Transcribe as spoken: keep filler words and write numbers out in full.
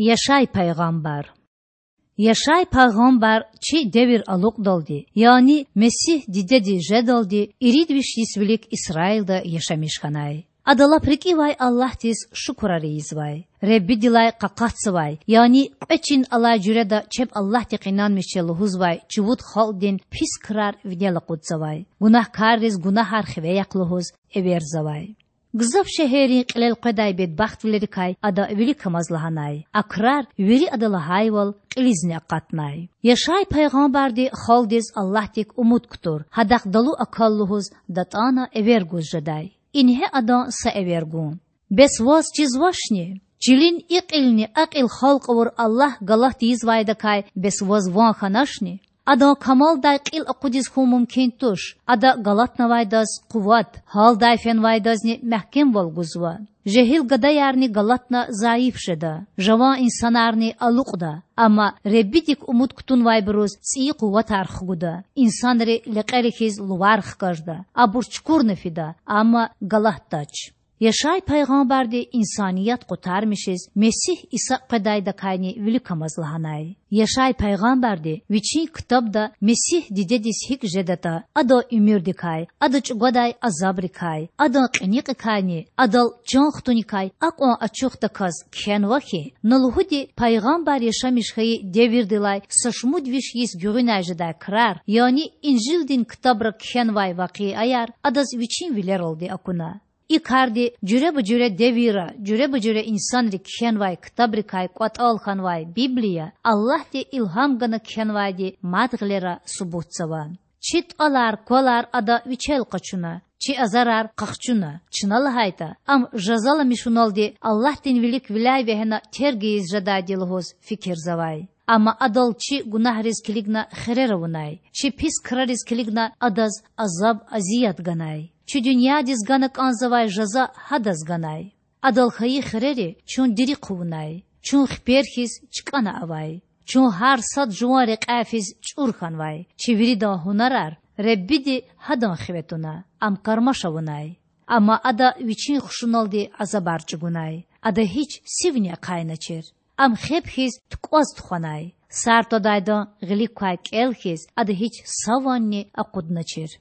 Яшай пайгъамбар. Яшай пайгъамбар чи девир алукьдалди, яни Месигь дидедиз жедалди ирид виш йис вилик Исраилда яшамиш хьанай. Ада лап рикӀивай Аллагьдиз шукурар ийизвай. Худадилай къакъатзавай, яни кьве чин алай жуьреда чеб Аллагьдихъ инанмиш я лугьузвай чувуд халкьдин пис крар винел акъудзавай, гунагькарриз гунагьар хиве яхъ лугьуз эверзавай. Гзаф шегьеррин кьилел къведай бедбахтвилерикай ада виликамаз лагьанай, а крар вири ада лагьайвал кьилизни акъатнай. Яшай пайгъамбарди халкьдиз Аллагьдик умуд кутур, гьадахъ далу акал лугьуз датӀана эвер гуз жедай. Ингье адан са эвер гун: Бес ваз чизвачни? Чилин и кьилни а кьил халкь авур Аллагь галат ийизвайдакай бес ваз ван хьаначни? Адан камалдай кьил акъудиз хьун мумкин туш. Ада галатнавайдаз къуват, гьалдай фенвайдазни мягькемвал гузва. Жегьил гадаярни галатна зайиф жеда, жаван инсанарни алукьда. Амма Худадик умуд кутунвайбуруз цӀийи къуватар хгуда, инсанри лекьери хьиз лувар хкажда, абур чукурна фида, амма галатдач. Яшай пайгъамбарди инсаният къутармишиз Месигь Иса къведайдакайни виликамаз лагьанай. Яшай пайгъамбарди вичин ктабда Месигь дидедиз гьикӀ жедатӀа, адан уьмуьрдикай, ада чӀугвадай азабрикай, адан кьиникьикайни адал чан хтуникай акьван ачухдаказ кхьенва хьи, на лугьуди пайгъамбар яшамиш хьайи девирдилай са шумуд виш йис гуьгъуьнай жедай крар, яни Инжилдин ктабра кхьенвай вакъиаяр адаз вичин вилералди акуна. И карди жуьреба-жуьре девирра жуьреба-жуьре инсанри кхьенвай ктабрикай кӀватӀал хьанвай Библия Аллагьди илгьам гана кхьенвайди мад гъилера субутзава. Чи тӀалар-квалар Ада Вичел къачуна, чи азарар къахчуна, чна лагьайтӀа, Ам жазаламишуналди Аллагьдин вилик виляй вегьена терг ийиз жедайди лугьуз фикирзавай. Амма Адал чи гунагьриз килигна хирер авунай, чи пис крариз килигна Адаз азаб-азият ганай. Чи дуьньядиз гана кӀанзавай жаза Гьадаз ганай. Адал хьайи хирери чун дири хъувунай, чун хипер хьиз чкӀана авай. Чун гьар сад жуван рекьяй физ чӀур хьанвай, чи виридан гьунарар Худadi Гьадан хиве туна, Ам кармаш авунай. Амма Ада Вичин хушуналди азабар чӀугунай, Ада гьич сивни ахъайначир. Ам хеб хьиз тукӀваз тухванай, сар твадайдан гъилик квай кӀел хьиз Ада гьич са ванни акъудначир.